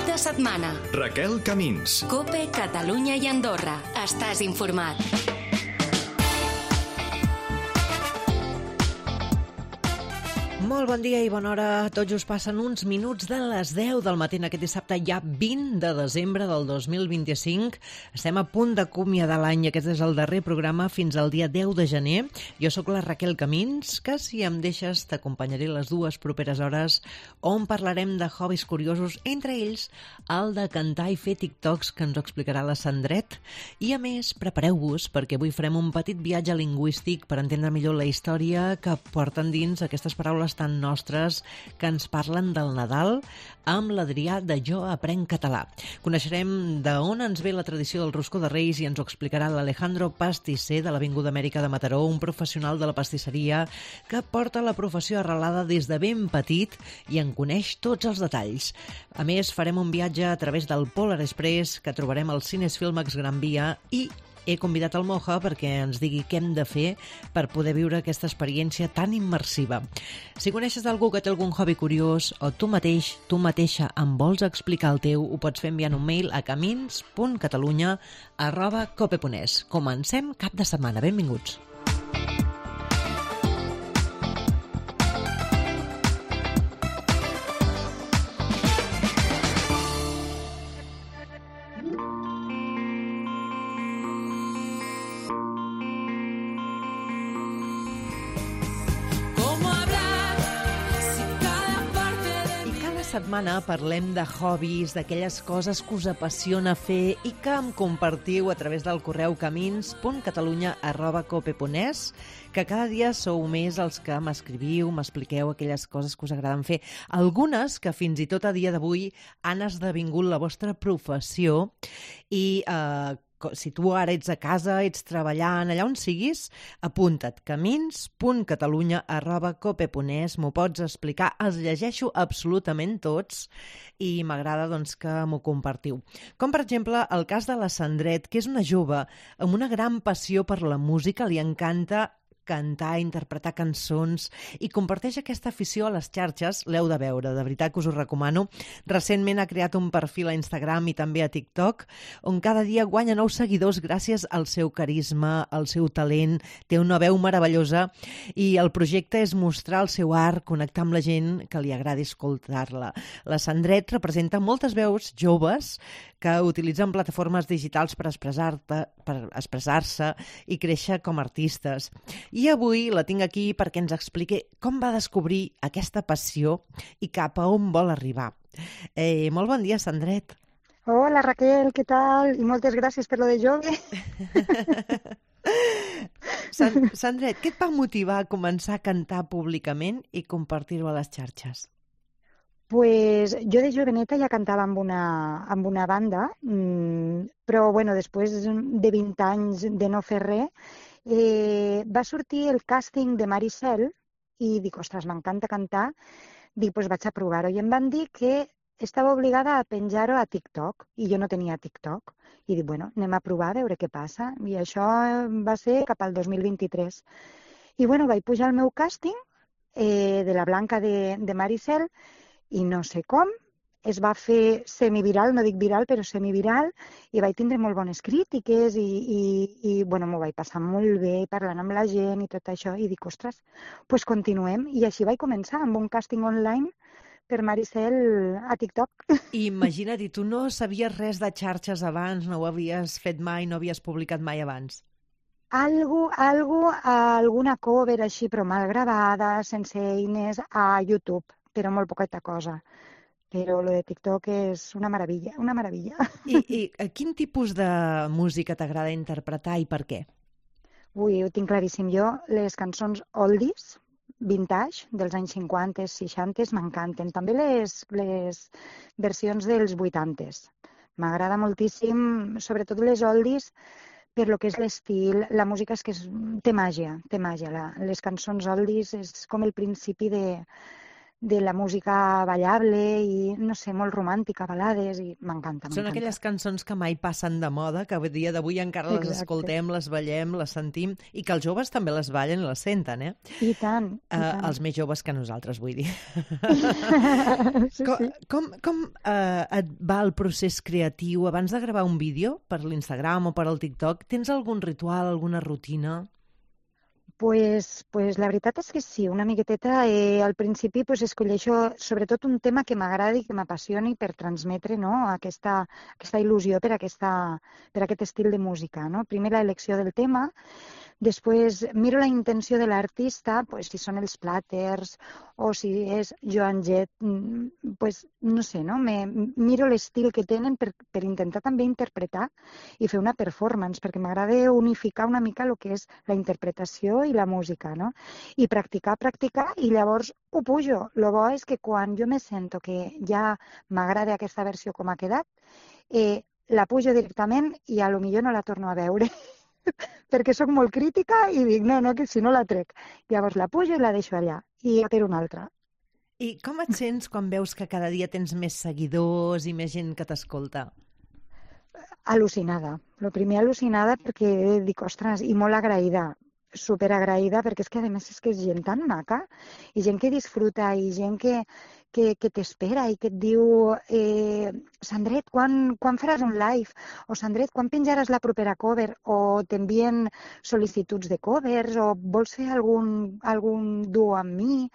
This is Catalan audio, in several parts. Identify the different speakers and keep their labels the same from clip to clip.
Speaker 1: de setmana.
Speaker 2: Raquel Camins.
Speaker 1: COPE, Catalunya i Andorra. Estàs informat.
Speaker 3: Molt bon dia i bona hora. Tots us passen uns minuts de les 10 del matí aquest dissabte, ja 20 de desembre del 2025. Estem a punt d'acomiadar l'any. Aquest és el darrer programa fins al dia 10 de gener. Jo sóc la Raquel Camins, que si em deixes t'acompanyaré les dues properes hores on parlarem de hobbies curiosos, entre ells el de cantar i fer TikToks, que ens ho explicarà la Sandret. I a més, prepareu-vos perquè avui farem un petit viatge lingüístic per entendre millor la història que porten dins aquestes paraules tan nostres que ens parlen del Nadal amb l'Adrià de Jo Aprenc Català. Coneixerem d'on ens ve la tradició del roscó de Reis i ens ho explicarà l'Alejandro Pastisser de l'Avinguda Amèrica de Mataró, un professional de la pastisseria que porta la professió arrelada des de ben petit i en coneix tots els detalls. A més, farem un viatge a través del Polar Express que trobarem al Cines Filmax Gran Via i he convidat el Moja perquè ens digui què hem de fer per poder viure aquesta experiència tan immersiva. Si coneixes algú que té algun hobby curiós o tu mateix, tu mateixa em vols explicar el teu, ho pots fer enviant un mail a camins.catalunya@cope.es. Comencem cap de setmana. Benvinguts. Setmana parlem de hobbies, d'aquelles coses que us apassiona fer i que em compartiu a través del correu camins.catalunya@cope.es, que cada dia sou més els que m'escriviu, m'expliqueu aquelles coses que us agraden fer. Algunes que fins i tot a dia d'avui han esdevingut la vostra professió i si tu ara ets a casa, ets treballant, allà on siguis, apunta't, camins.catalunya@cope.es, m'ho pots explicar, els llegeixo absolutament tots i m'agrada doncs, que m'ho compartiu. Com, per exemple, el cas de la Sandret, que és una jove amb una gran passió per la música, li encanta cantar, interpretar cançons i comparteix aquesta afició a les xarxes. L'heu de veure, de veritat que us ho recomano. Recentment ha creat un perfil a Instagram i també a TikTok, on cada dia guanya nous seguidors gràcies al seu carisma, al seu talent. Té una veu meravellosa i el projecte és mostrar el seu art, connectar amb la gent que li agradi escoltar-la. La Sandret representa moltes veus joves que utilitzen plataformes digitals per expressar-se i créixer com a artistes. I avui la tinc aquí perquè ens expliqui com va descobrir aquesta passió i cap a on vol arribar. Molt bon dia, Sandret.
Speaker 4: Hola, Raquel, què tal? I moltes gràcies per lo de jove.
Speaker 3: Sandret, què et va motivar a començar a cantar públicament i compartir-ho a les xarxes?
Speaker 4: Pues jo de joveneta ja cantava amb una banda, però bueno, després de 20 anys de no fer res, va sortir el càsting de Maricel i dic, ostres, m'encanta cantar, dic, doncs vaig a provar-ho. I em van dir que estava obligada a penjar-ho a TikTok i jo no tenia TikTok. I dic, bueno, anem a provar a veure què passa. I això va ser cap al 2023. I bueno, vaig pujar al meu càsting de la Blanca de Maricel i no sé com, es va fer semiviral, no dic viral, però semiviral, i vaig tindre molt bones crítiques i bueno, m'ho vaig passar molt bé parlant amb la gent i tot això, i dic, ostres, doncs continuem. I així vaig començar amb un càsting online per Maricel a TikTok.
Speaker 3: I imagina't, i tu no sabies res de xarxes abans, no ho havies fet mai, no havies publicat mai abans?
Speaker 4: Alguna cover així, però mal gravada, sense eines, a YouTube, però molt poqueta cosa. Però lo de TikTok és una meravella, una meravella.
Speaker 3: I quin tipus de música t'agrada interpretar i per què?
Speaker 4: Ui, ho tinc claríssim. Jo, les cançons oldies, vintage, dels anys 50, 60, m'encanten. També les versions dels 80. M'agrada moltíssim, sobretot les oldies, per lo que és l'estil, la música és que té màgia, té màgia. Les cançons oldies és com el principi de la música ballable i, no sé, molt romàntica, balades, i m'encanta.
Speaker 3: Són aquelles cançons que mai passen de moda, que a dia d'avui encara les escoltem, les ballem, les sentim, i que els joves també les ballen i les senten, eh?
Speaker 4: I tant, i tant.
Speaker 3: Els més joves que nosaltres, vull dir.
Speaker 4: Sí,
Speaker 3: Com et va el procés creatiu? Abans de gravar un vídeo per l'Instagram o per al TikTok, tens algun ritual, alguna rutina?
Speaker 4: Pues la veritat és que sí, una miqueteta. Al principi escolleixo sobretot un tema que m'agradi, que m'apassioni per transmetre, no, aquesta il·lusió per aquest estil de música, no? Primer l'elecció del tema, després miro la intenció de l'artista, si són els Platters o si és Joan Jett, no sé, no? Miro l'estil que tenen per intentar també interpretar i fer una performance, perquè m'agrada unificar una mica el que és la interpretació i la música, no? I practicar, i llavors ho pujo. El bo és que quan jo me sento que ja m'agrada aquesta versió com ha quedat, la pujo directament i a lo millor no la torno a veure. Perquè sóc molt crítica i dic, no, que si no la trec. Llavors la pujo i la deixo allà, i per una altra.
Speaker 3: I com et sents quan veus que cada dia tens més seguidors i més gent que t'escolta?
Speaker 4: Al·lucinada. El primer al·lucinada perquè dic, ostres, i molt agraïda, superagraïda, perquè és que a més és que és gent tan maca, i gent que disfruta, i gent que t'espera i que et diu Sandret, quan faràs un live? O Sandret, quan penjaràs la propera cover? O t'envien sol·licituds de covers? O vols fer algun duo amb mi?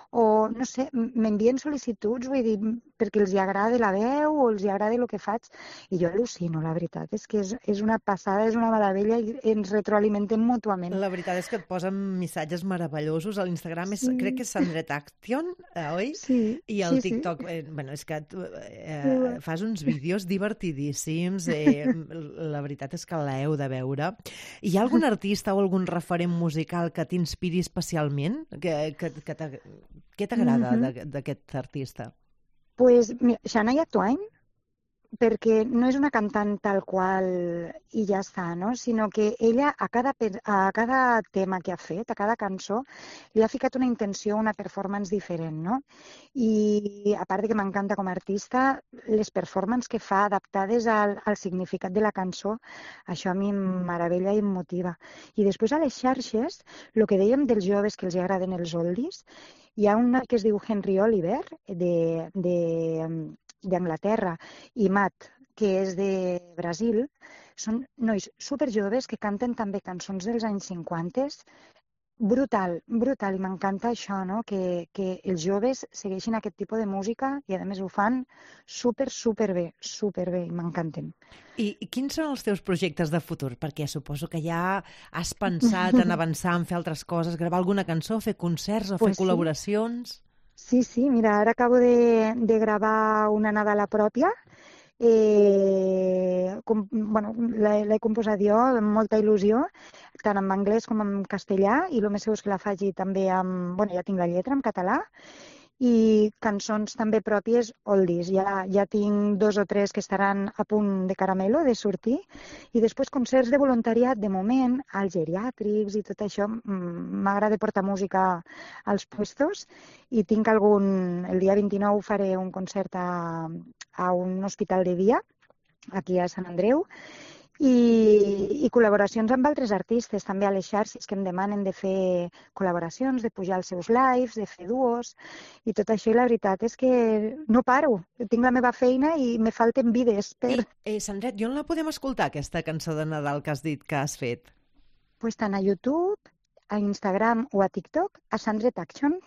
Speaker 4: O, no sé, m'envien sol·licituds, vull dir, perquè els agrada la veu o els agrada el que faig. I jo al·lucino, la veritat. És que és una passada, és una meravella i ens retroalimentem mútuament.
Speaker 3: La veritat és que et posen missatges meravellosos. A l'Instagram crec que és Sandret Action, oi?
Speaker 4: Sí.
Speaker 3: I al TikTok, és que fas uns vídeos divertidíssims. La veritat és que l'heu de veure. Hi ha algun artista o algun referent musical que t'inspiri especialment? Què t'agrada d'aquest artista?
Speaker 4: Pues, mira, Shania Twain, perquè no és una cantant tal qual i ja està, no? Sinó que ella a cada tema que ha fet, a cada cançó, li ha ficat una intenció, una performance diferent, no? I a part de que m'encanta com a artista, les performances que fa adaptades al significat de la cançó, això a mi em meravella i em motiva. I després a les xarxes, el que dèiem dels joves que els agraden els oldies, hi ha un que es diu Henry Oliver, d'Anglaterra, i Matt, que és de Brasil. Són nois superjoves que canten també cançons dels anys 50. Brutal, i m'encanta això, no? Que els joves segueixin aquest tipus de música i a més ho fan superbé, i m'encanten.
Speaker 3: I quins són els teus projectes de futur? Perquè suposo que ja has pensat en avançar, en fer altres coses, gravar alguna cançó, fer concerts o fer col·laboracions?
Speaker 4: Sí, mira, ara acabo de gravar una Nadala pròpia. L'he composat jo amb molta il·lusió, tant en anglès com en castellà, i el més segur és que la faci també ja tinc la lletra en català, i cançons també pròpies oldies. Ja tinc 2 o 3 que estaran a punt de caramelo, de sortir, i després concerts de voluntariat, de moment, als geriàtrics i tot això. M'agrada portar música als puestos i tinc el dia 29 faré un concert a un hospital de dia, aquí a Sant Andreu, i col·laboracions amb altres artistes, també a les xarxes que em demanen de fer col·laboracions, de pujar els seus lives, de fer duos, i tot això, i la veritat és que no paro. Tinc la meva feina i me falten vides per...
Speaker 3: Sandret, i on la podem escoltar, aquesta cançó de Nadal que has dit que has fet?
Speaker 4: Pues tant a YouTube, a Instagram o a TikTok, a Sandret Action.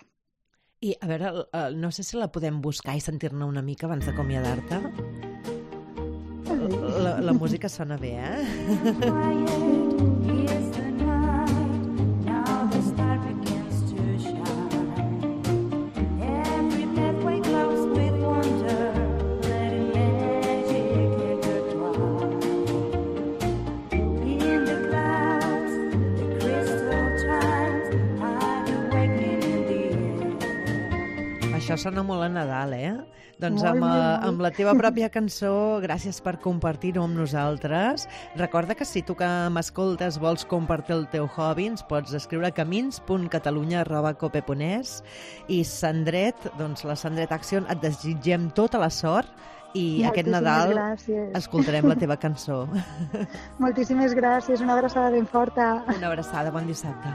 Speaker 3: I, a veure, no sé si la podem buscar i sentir-ne una mica abans d'acomiadar-te. La música sona bé, Això sona molt a Nadal, eh? Doncs
Speaker 4: Molt, molt, molt.
Speaker 3: amb la teva pròpia cançó, gràcies per compartir-ho amb nosaltres. Recorda que si tu que m'escoltes vols compartir el teu hobby, ens pots escriure a camins.catalunya@cope.es i Sandret, doncs la Sandret Action, et desitgem tota la sort i aquest Nadal
Speaker 4: gràcies.
Speaker 3: escoltarem la teva cançó.
Speaker 4: Moltíssimes gràcies, una abraçada ben forta.
Speaker 3: Una abraçada, bon dissabte.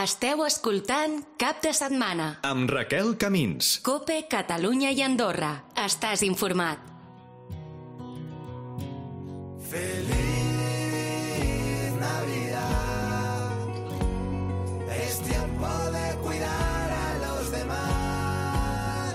Speaker 1: Esteu escoltant Cap de Setmana.
Speaker 2: Amb Raquel Camins.
Speaker 1: Cope, Catalunya i Andorra. Estàs informat.
Speaker 5: Feliz Navidad. Es tiempo de cuidar a los demás.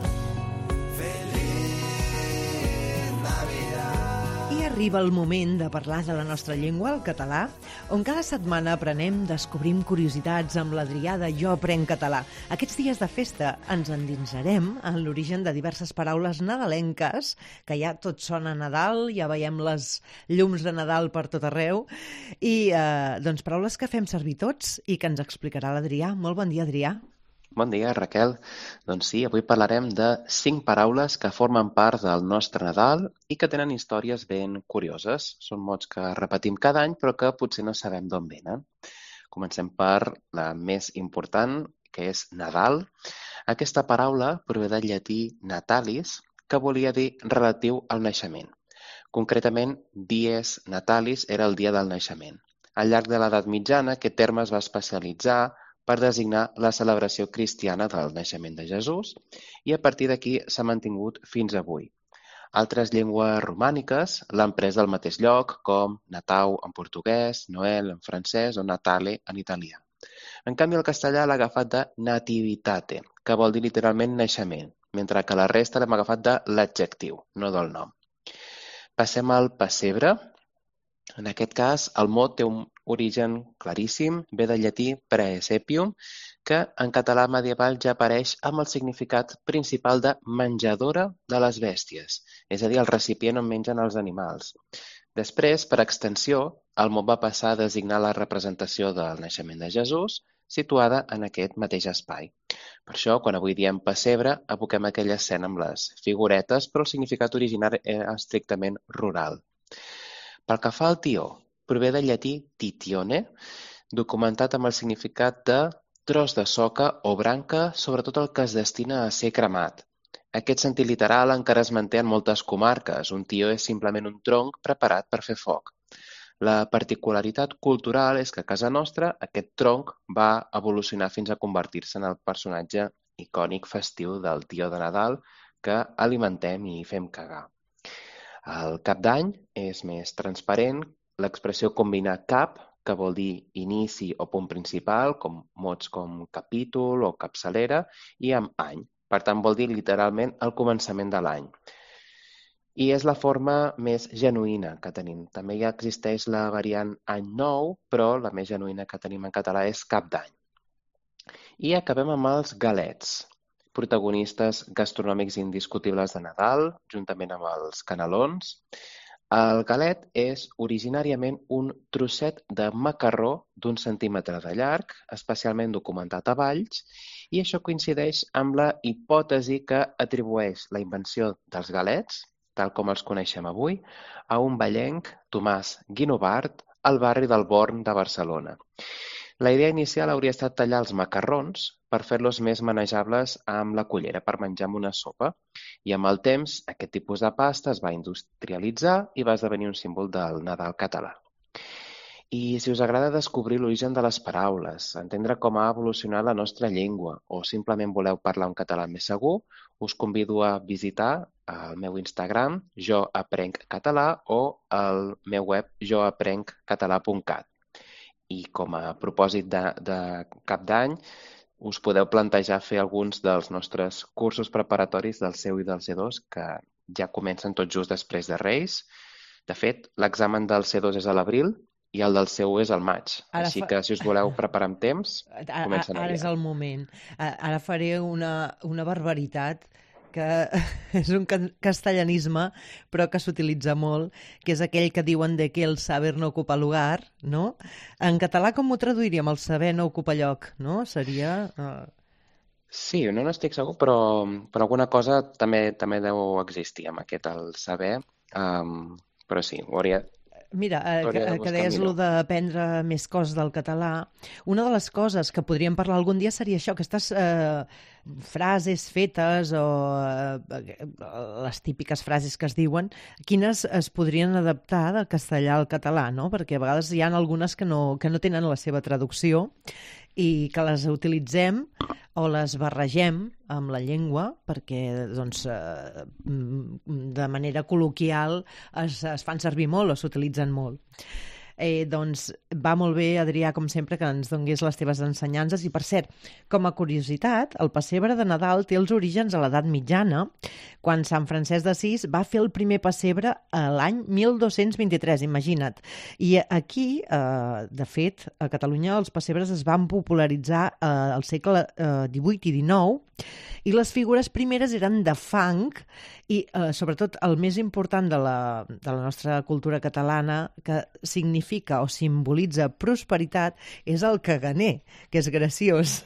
Speaker 5: Feliz Navidad.
Speaker 3: I arriba el moment de parlar de la nostra llengua, el català, on cada setmana aprenem, descobrim curiositats amb l'Adrià de Jo Aprenc Català. Aquests dies de festa ens endinsarem en l'origen de diverses paraules nadalenques, que ja tot sona a Nadal, ja veiem les llums de Nadal per tot arreu, i doncs paraules que fem servir tots i que ens explicarà l'Adrià. Molt bon dia, Adrià.
Speaker 6: Bon dia, Raquel. Doncs sí, avui parlarem de 5 paraules que formen part del nostre Nadal i que tenen històries ben curioses. Són mots que repetim cada any però que potser no sabem d'on venen. Comencem per la més important, que és Nadal. Aquesta paraula prové del llatí natalis, que volia dir relatiu al naixement. Concretament, dies natalis era el dia del naixement. Al llarg de l'edat mitjana, aquest terme es va especialitzar per designar la celebració cristiana del naixement de Jesús i a partir d'aquí s'ha mantingut fins avui. Altres llengües romàniques l'han pres del mateix lloc, com Natau en portuguès, Noel en francès o Natale en italià. En canvi, el castellà l'ha agafat de nativitate, que vol dir literalment naixement, mentre que la resta l'hem agafat de l'adjectiu, no del nom. Passem al pessebre. En aquest cas, el mot té un origen claríssim, ve del llatí praesepium, que en català medieval ja apareix amb el significat principal de menjadora de les bèsties, és a dir, el recipient on mengen els animals. Després, per extensió, el mot va passar a designar la representació del naixement de Jesús, situada en aquest mateix espai. Per això, quan avui diem pessebre, evoquem aquella escena amb les figuretes, però el significat originari era estrictament rural. Pel que fa al tió, prové del llatí titione, documentat amb el significat de tros de soca o branca, sobretot el que es destina a ser cremat. Aquest sentit literal encara es manté en moltes comarques. Un tió és simplement un tronc preparat per fer foc. La particularitat cultural és que a casa nostra aquest tronc va evolucionar fins a convertir-se en el personatge icònic festiu del tió de Nadal que alimentem i fem cagar. El cap d'any és més transparent, l'expressió combina cap, que vol dir inici o punt principal, com mots com capítol o capçalera, i amb any. Per tant, vol dir literalment el començament de l'any. I és la forma més genuïna que tenim. També ja existeix la variant any nou, però la més genuïna que tenim en català és cap d'any. I acabem amb els galets, protagonistes gastronòmics indiscutibles de Nadal, juntament amb els canelons. El galet és originàriament un trosset de macarró d'1 centímetre de llarg, especialment documentat a Valls, i això coincideix amb la hipòtesi que atribueix la invenció dels galets, tal com els coneixem avui, a un vallenc, Tomàs Guinovart, al barri del Born de Barcelona. La idea inicial hauria estat tallar els macarrons per fer-los més manejables amb la cullera per menjar amb una sopa. I amb el temps, aquest tipus de pasta es va industrialitzar i va esdevenir un símbol del Nadal català. I si us agrada descobrir l'origen de les paraules, entendre com ha evolucionat la nostra llengua o simplement voleu parlar un català més segur, us convido a visitar el meu Instagram, joaprenc-català, o el meu web, joaprenc-català.cat. I com a propòsit de cap d'any, us podeu plantejar fer alguns dels nostres cursos preparatoris del C1 i del C2, que ja comencen tot just després de Reis. De fet, l'examen del C2 és a l'abril i el del C1 és al maig. Així que, si us voleu preparar amb temps, comencen
Speaker 3: Ara és el moment. Ara faré una barbaritat que és un castellanisme, però que s'utilitza molt, que és aquell que diuen de que el saber no ocupa lugar, no? En català com ho traduiríem? El saber no ocupa lloc, no? Seria...
Speaker 6: Sí, no n'estic segur, però alguna cosa també deu existir amb aquest, el saber. Però sí, ho hauria
Speaker 3: Mira,
Speaker 6: de
Speaker 3: que
Speaker 6: buscar
Speaker 3: deies
Speaker 6: millor.
Speaker 3: lo d'aprendre més coses del català. Una de les coses que podríem parlar algun dia seria això, aquestes frases fetes o les típiques frases que es diuen, quines es podrien adaptar del castellà al català, no? Perquè a vegades hi ha algunes que no tenen la seva traducció i que les utilitzem o les barregem amb la llengua perquè doncs, de manera col·loquial es fan servir molt o s'utilitzen molt. Doncs va molt bé, Adrià, com sempre, que ens donguis les teves ensenyances. I, per cert, com a curiositat, el pessebre de Nadal té els orígens a l'edat mitjana, quan Sant Francesc d'Assís va fer el primer pessebre a l'any 1223, imagina't. I aquí, de fet, a Catalunya els pessebres es van popularitzar al segle XVIII i XIX, i les figures primeres eren de fang i, sobretot, el més important de la nostra cultura catalana, que significa o simbolitza prosperitat, és el caganer, que és graciós.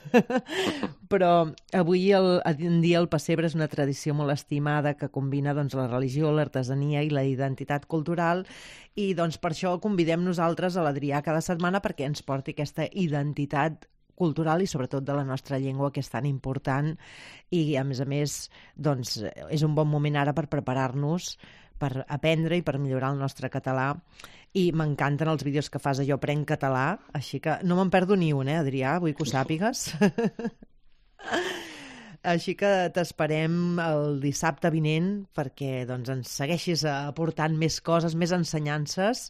Speaker 3: Però avui en dia el pessebre és una tradició molt estimada que combina doncs, la religió, l'artesania i la identitat cultural, i doncs, per això convidem nosaltres a l'Adrià cada setmana perquè ens porti aquesta identitat cultural i sobretot de la nostra llengua, que és tan important, i a més doncs, és un bon moment ara per preparar-nos per aprendre i per millorar el nostre català. I m'encanten els vídeos que fas a Jo Aprenc Català, així que no me'n perdo ni un, Adrià? Vull que ho sàpigues. Així que t'esperem el dissabte vinent perquè doncs, ens segueixis aportant més coses, més ensenyances,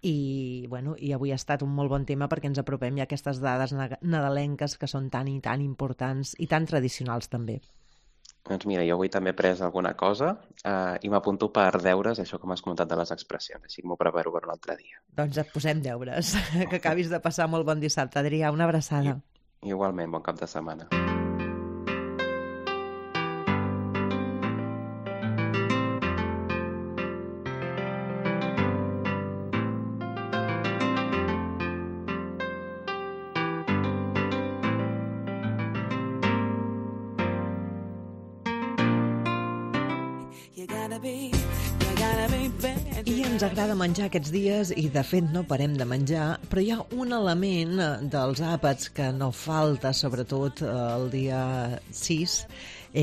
Speaker 3: i avui ha estat un molt bon tema perquè ens apropem ja a aquestes dades nadalenques que són tan i tan importants i tan tradicionals també.
Speaker 6: Doncs mira, jo avui també he pres alguna cosa i m'apunto per deures, això que m'has comentat de les expressions, així que m'ho preparo per un altre dia.
Speaker 3: Doncs et posem deures. Que acabis de passar molt bon dissabte, Adrià. Una abraçada.
Speaker 6: Igualment, bon cap de setmana.
Speaker 3: I ens agrada menjar aquests dies i, de fet, no parem de menjar, però hi ha un element dels àpats que no falta, sobretot el dia 6,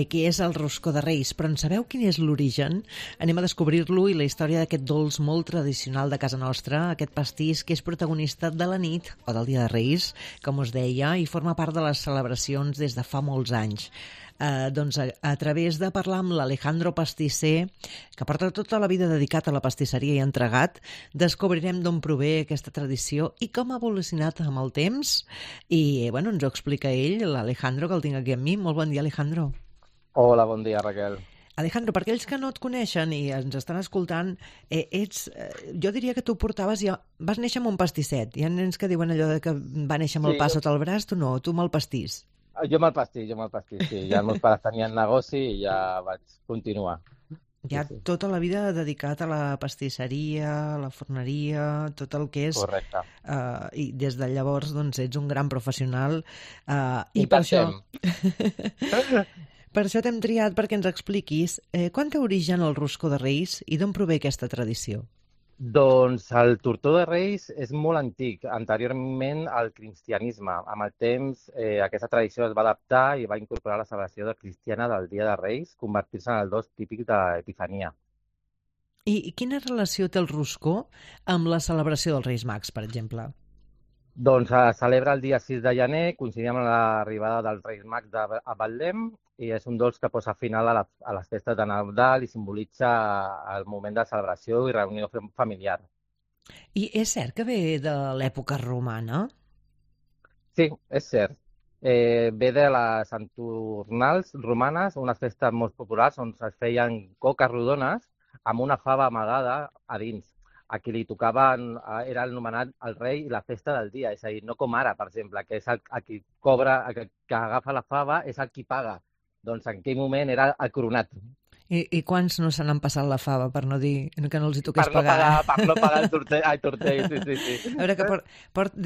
Speaker 3: que és el roscó de Reis. Però en sabeu quin és l'origen? Anem a descobrir-lo i la història d'aquest dolç molt tradicional de casa nostra, aquest pastís que és protagonista de la nit o del dia de Reis, com us deia, i forma part de les celebracions des de fa molts anys. Doncs a través de parlar amb l'Alejandro Pastisser, que porta tota la vida dedicat a la pastisseria i entregat, descobrirem d'on prové aquesta tradició i com ha evolucionat amb el temps. I ens ho explica ell, l'Alejandro, que el tinc aquí amb mi. Molt bon dia, Alejandro.
Speaker 2: Hola, bon dia, Raquel.
Speaker 3: Alejandro, per aquells que no et coneixen i ens estan escoltant, jo diria que tu vas néixer amb un pastisset. Hi ha nens que diuen allò de que va néixer amb el pa sota el braç, tu no, tu amb el pastís.
Speaker 2: Jo amb el pastís, sí. Ja els meus pares tenien negoci i ja vaig continuar.
Speaker 3: Ja tota la vida dedicat a la pastisseria, a la forneria, tot el que és...
Speaker 2: Correcte.
Speaker 3: I des de llavors doncs, ets un gran professional. I per això t'hem triat perquè ens expliquis quan té origen el roscó de Reis i d'on prové aquesta tradició.
Speaker 2: Doncs el tortó de Reis és molt antic, anteriorment al cristianisme. Amb el temps aquesta tradició es va adaptar i va incorporar la celebració cristiana del Dia de Reis, convertir-se en el dos típic d'Epifania.
Speaker 3: I quina relació té el roscó amb la celebració dels Reis Mags, per exemple?
Speaker 2: Doncs es celebra el dia 6 de gener, coincidint amb l'arribada dels Reis Mags a Betlem, i és un dolç que posa final a les festes de Nadal i simbolitza el moment de celebració i reunió familiar.
Speaker 3: I és cert que ve de l'època romana?
Speaker 2: Sí, és cert. Ve de les Saturnals romanes, unes festes molt populars on es feien coques rodones amb una fava amagada a dins. A qui li tocaven era anomenat el rei i la festa del dia, és a dir, no com ara, per exemple, que és el qui cobra, que agafa la fava és el qui paga. Doncs en aquell moment era el coronat.
Speaker 3: I quants no se n'han passat la fava, per no dir que no els hi toqués
Speaker 2: Per no
Speaker 3: pagar?
Speaker 2: pagar el tortell, sí.
Speaker 3: A veure, que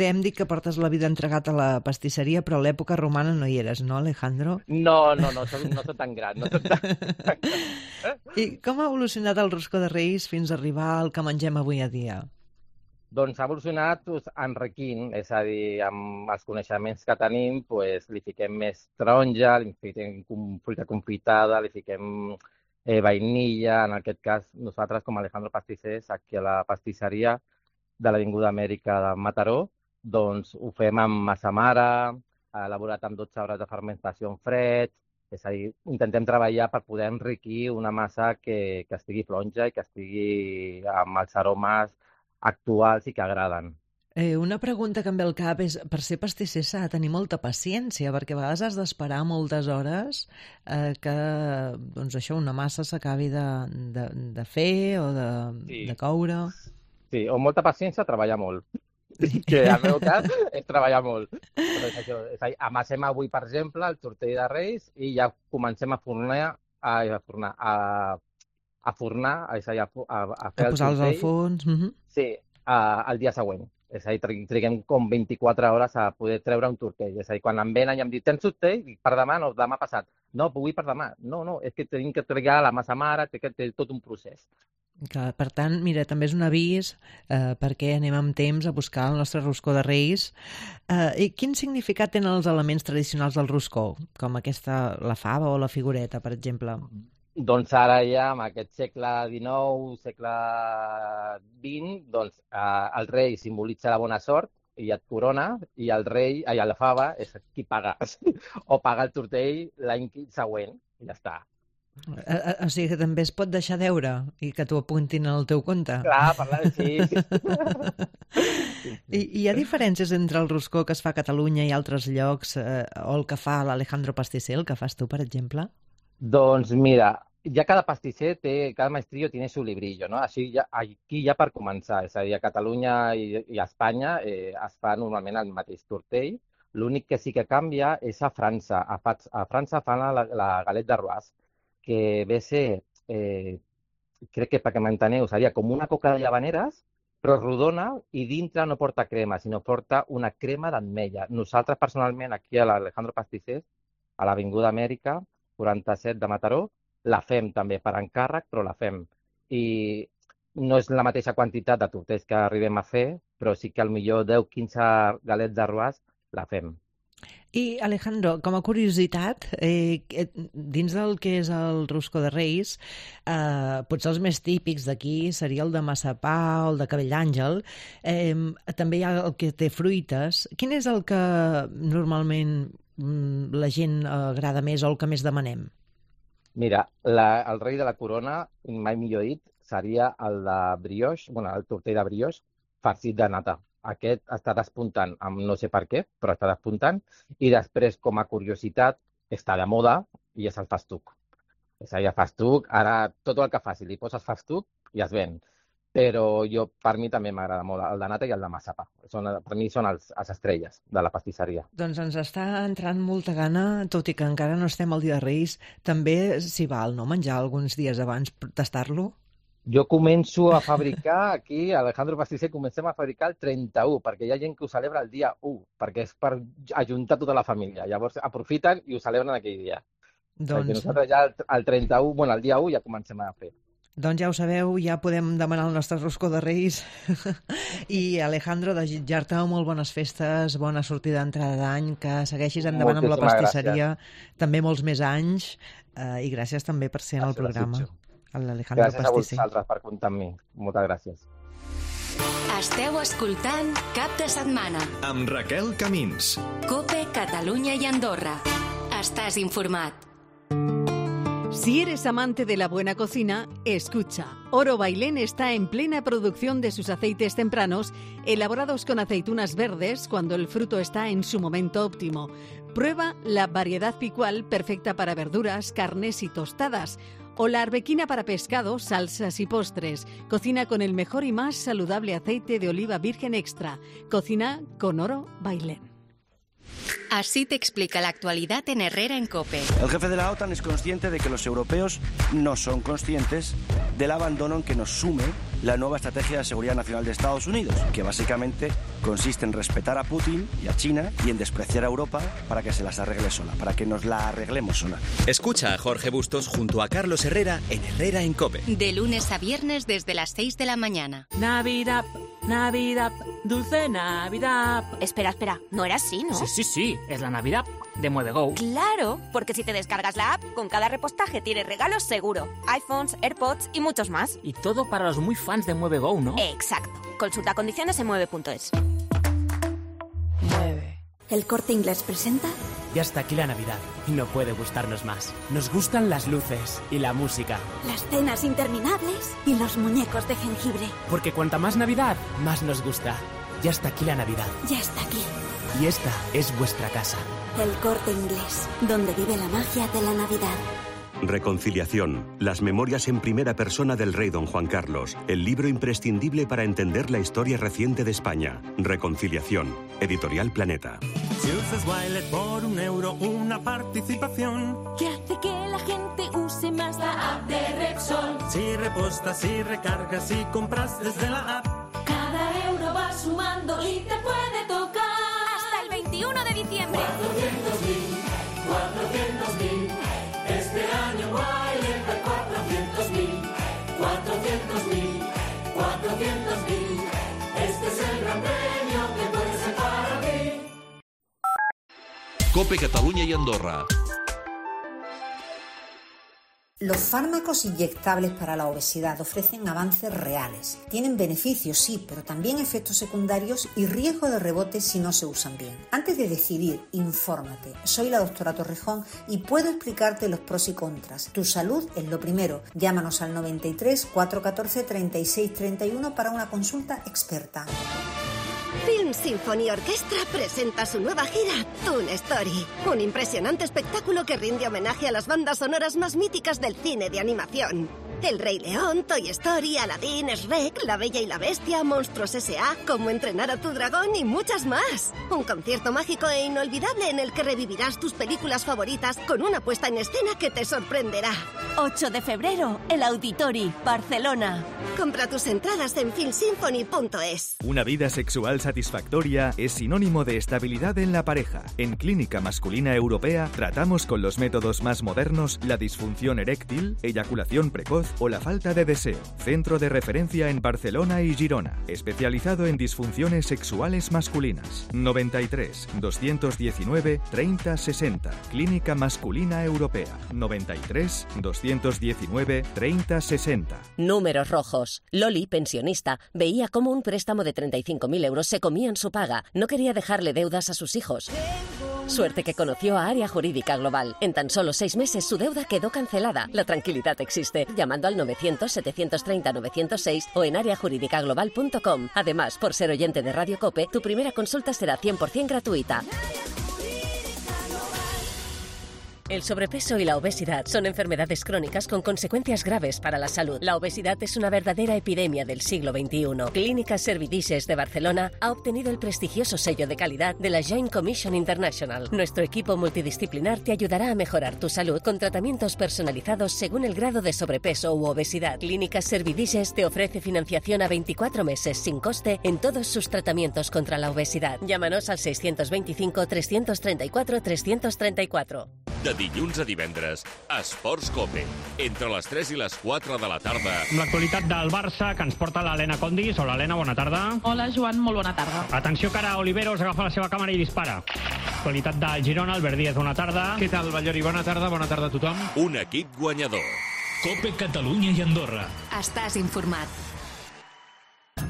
Speaker 3: hem dit que portes la vida entregat a la pastisseria, però a l'època romana no hi eres, no, Alejandro?
Speaker 2: No soc tan gran, no soc tan...
Speaker 3: I com ha evolucionat el roscó de Reis fins a arribar al que mengem avui a dia?
Speaker 2: Doncs ha evolucionat enriquint, és a dir, amb els coneixements que tenim, li fiquem més taronja, li fiquem fruita confitada, li fiquem vainilla. En aquest cas, nosaltres, com a Alejandro Pastissers, aquí a la pastisseria de l'Avinguda Amèrica de Mataró, doncs ho fem amb massa mare, elaborat amb 12 hores de fermentació en fred, és a dir, intentem treballar per poder enriquir una massa que estigui flonja i que estigui amb els aromes actuals i que agraden.
Speaker 3: Una pregunta que em ve al cap és, per ser pastisser s'ha de tenir molta paciència, perquè a vegades has d'esperar moltes hores que doncs això, una massa s'acabi de fer o de coure.
Speaker 2: Sí, o molta paciència o treballar molt. Que al meu cas és treballar molt. Però és això, és a dir, amassem avui, per exemple, el tortell de Reis i ja comencem a fornar, és a dir, a fer el
Speaker 3: posar-los al
Speaker 2: tortell.
Speaker 3: forn.
Speaker 2: Sí, el dia següent. És a dir, triguem com 24 hores a poder treure un tortell. És a dir, quan em venen i em diuen, tens tortell? Per demà no, demà passat. No, vull per demà. No, és que tenim que trigar la massa mare, té tot un procés.
Speaker 3: Clar, per tant, mira, també és un avís perquè anem amb temps a buscar el nostre roscó de Reis. I quin significat tenen els elements tradicionals del roscó, com la fava o la figureta, per exemple?
Speaker 2: Doncs ara ja, en aquest segle XIX, segle XX, doncs el rei simbolitza la bona sort i et corona, i el rei, la fava, és qui paga. O paga el tortell l'any següent, i ja està.
Speaker 3: O sigui que també es pot deixar deure i que t'ho apuntin al teu compte.
Speaker 2: Clar, sí.
Speaker 3: I hi ha diferències entre el roscó que es fa a Catalunya i altres llocs o el que fa l'Alejandro Pastisser, el que fas tu, per exemple?
Speaker 2: Doncs mira, ja cada pastisser cada maestrillo tiene su librillo, no? Així aquí ja per començar, és a dir, a Catalunya i a Espanya es fa normalment el mateix tortell. L'únic que sí que canvia és a França. A França fan la galette d'arròs, que ve a ser, crec que perquè m'enteneu, seria com una coca de llavaneres, però rodona i dintre no porta crema, sinó porta una crema d'ametlla. Nosaltres, personalment, aquí a l'Alejandro Pastissers, a l'Avinguda Amèrica, 47 de Mataró, la fem també per encàrrec, però la fem. I no és la mateixa quantitat de tortells que arribem a fer, però sí que potser 10-15 galets d'arròs la fem.
Speaker 3: I, Alejandro, com a curiositat, dins del que és el roscó de Reis, potser els més típics d'aquí seria el de massapà o el de cabell d'àngel. També hi ha el que té fruites. Quin és el que normalment la gent agrada més o el que més demanem?
Speaker 2: Mira, el rei de la corona, mai millor dit, seria el de brioche, el tortell de brioche farcit de nata. Aquest està despuntant, no sé per què, però està despuntant. I després, com a curiositat, està de moda i és el festuc. És a dir, el festuc, ara tot el que faci, li poses festuc i es ven. Però per mi també m'agrada molt el de nata i el de massapà. Per mi són les estrelles de la pastisseria.
Speaker 3: Doncs ens està entrant molta gana, tot i que encara no estem al dia de Reis. També s'hi val, no?, menjar alguns dies abans per tastar-lo?
Speaker 2: Jo començo a fabricar aquí, a Alejandro Pastisser, comencem a fabricar el 31, perquè hi ha gent que ho celebra el dia 1, perquè és per ajuntar tota la família. Llavors aprofiten i ho celebren aquell dia. Perquè nosaltres ja el 31, el dia 1 ja comencem a fer.
Speaker 3: Doncs ja ho sabeu, ja podem demanar el nostre roscó de Reis. I, Alejandro, desitjar-te molt bones festes, bona sortida d'entrada d'any, que segueixis endavant amb la pastisseria, també molts més anys, i gràcies també per ser en el programa.
Speaker 2: Gràcies a vosaltres per comptar amb mi. Moltes gràcies.
Speaker 1: Esteu escoltant Cap de Setmana
Speaker 5: amb Raquel Camins.
Speaker 1: COPE, Catalunya y Andorra. Estás informat.
Speaker 7: Si eres amante de la buena cocina, escucha. Oro Bailén está en plena producción de sus aceites tempranos, elaborados con aceitunas verdes cuando el fruto está en su momento óptimo. Prueba la variedad picual perfecta para verduras, carnes y tostadas, o la arbequina para pescado, salsas y postres. Cocina con el mejor y más saludable aceite de oliva virgen extra. Cocina con Oro Bailén.
Speaker 1: Así te explica la actualidad en Herrera en COPE.
Speaker 8: El jefe de la OTAN es consciente de que los europeos no son conscientes del abandono en que nos sume la nueva estrategia de seguridad nacional de Estados Unidos, que básicamente consiste en respetar a Putin y a China y en despreciar a Europa para que se las arregle sola, para que nos la arreglemos sola.
Speaker 5: Escucha a Jorge Bustos junto a Carlos Herrera en Herrera en COPE.
Speaker 1: De lunes a viernes desde las 6 de la mañana.
Speaker 9: Navidad, Navidad, dulce Navidad.
Speaker 10: Espera, no era así, ¿no?
Speaker 9: Sí, es la Navidad de MueveGo.
Speaker 10: Claro, porque si te descargas la app, con cada repostaje tienes regalos seguro. iPhones, AirPods y muchos más.
Speaker 9: Y todo para los muy fans de MueveGo, ¿no?
Speaker 10: Exacto. Consulta condiciones en mueve.es.
Speaker 9: Mueve.
Speaker 11: ¿El Corte Inglés presenta?
Speaker 9: Ya está aquí la Navidad y no puede gustarnos más. Nos gustan las luces y la música.
Speaker 11: Las cenas interminables y los muñecos de jengibre.
Speaker 9: Porque cuanta más Navidad, más nos gusta. Ya está aquí la Navidad.
Speaker 11: Ya está aquí.
Speaker 9: Y esta es vuestra casa.
Speaker 11: El Corte Inglés, donde vive la magia de la Navidad.
Speaker 12: Reconciliación. Las memorias en primera persona del rey don Juan Carlos. El libro imprescindible para entender la historia reciente de España. Reconciliación. Editorial Planeta.
Speaker 13: Si usas Wilet por €1, una participación
Speaker 14: que hace que la gente use más la app de Repsol.
Speaker 13: Si repostas, si recargas, si compras desde la app,
Speaker 14: cada euro va sumando y te puede tocar
Speaker 10: hasta el 21 de diciembre.
Speaker 14: 400.000. Este año Wilet da 400.000. Este es el gran premio que puede ser para ti.
Speaker 5: COPE Catalunya y Andorra.
Speaker 15: Los fármacos inyectables para la obesidad ofrecen avances reales. Tienen beneficios, sí, pero también efectos secundarios y riesgo de rebote si no se usan bien. Antes de decidir, infórmate. Soy la doctora Torrejón y puedo explicarte los pros y contras. Tu salud es lo primero. Llámanos al 93 414 36 31 para una consulta experta.
Speaker 16: Film Symphony Orchestra presenta su nueva gira, Toon Story. Un impresionante espectáculo que rinde homenaje a las bandas sonoras más míticas del cine de animación. El Rey León, Toy Story, Aladdin, Shrek, La Bella y la Bestia, Monstruos S.A., Cómo entrenar a tu dragón y muchas más. Un concierto mágico e inolvidable en el que revivirás tus películas favoritas con una puesta en escena que te sorprenderá.
Speaker 17: 8 de febrero, el Auditori, Barcelona.
Speaker 16: Compra tus entradas en filmsymphony.es.
Speaker 18: Una vida sexual satisfactoria es sinónimo de estabilidad en la pareja. En Clínica Masculina Europea tratamos con los métodos más modernos la disfunción eréctil, eyaculación precoz o la falta de deseo. Centro de referencia en Barcelona y Girona, especializado en disfunciones sexuales masculinas. 93 219 30 60. Clínica Masculina Europea. 93 219 30 60.
Speaker 19: Números rojos. Loli, pensionista, veía cómo un préstamo de 35.000 euros se comía en su paga. No quería dejarle deudas a sus hijos. Suerte que conoció a Área Jurídica Global. En tan solo 6 meses su deuda quedó cancelada. La tranquilidad existe. Llamando al 900-730-906 o en areajuridicaglobal.com. Además, por ser oyente de Radio COPE, tu primera consulta será 100% gratuita. El sobrepeso y la obesidad son enfermedades crónicas con consecuencias graves para la salud. La obesidad es una verdadera epidemia del siglo XXI. Clínica Servidices de Barcelona ha obtenido el prestigioso sello de calidad de la Joint Commission International. Nuestro equipo multidisciplinar te ayudará a mejorar tu salud con tratamientos personalizados según el grado de sobrepeso u obesidad. Clínica Servidices te ofrece financiación a 24 meses sin coste en todos sus tratamientos contra la obesidad. Llámanos al 625 334 334.
Speaker 20: De dilluns a divendres, Esports COPE. Entre les 3 i les 4 de la tarda.
Speaker 21: Amb l'actualitat del Barça, que ens porta l'Helena Condis. Hola, Helena, bona tarda.
Speaker 22: Hola, Joan, molt bona tarda.
Speaker 21: Atenció, que ara Oliveros agafa la seva càmera i dispara. Actualitat del Girona, Albert Díaz, bona tarda.
Speaker 23: Què tal, Ballori? Bona tarda a tothom.
Speaker 20: Un equip guanyador.
Speaker 5: COPE Catalunya i Andorra.
Speaker 1: Estàs informat.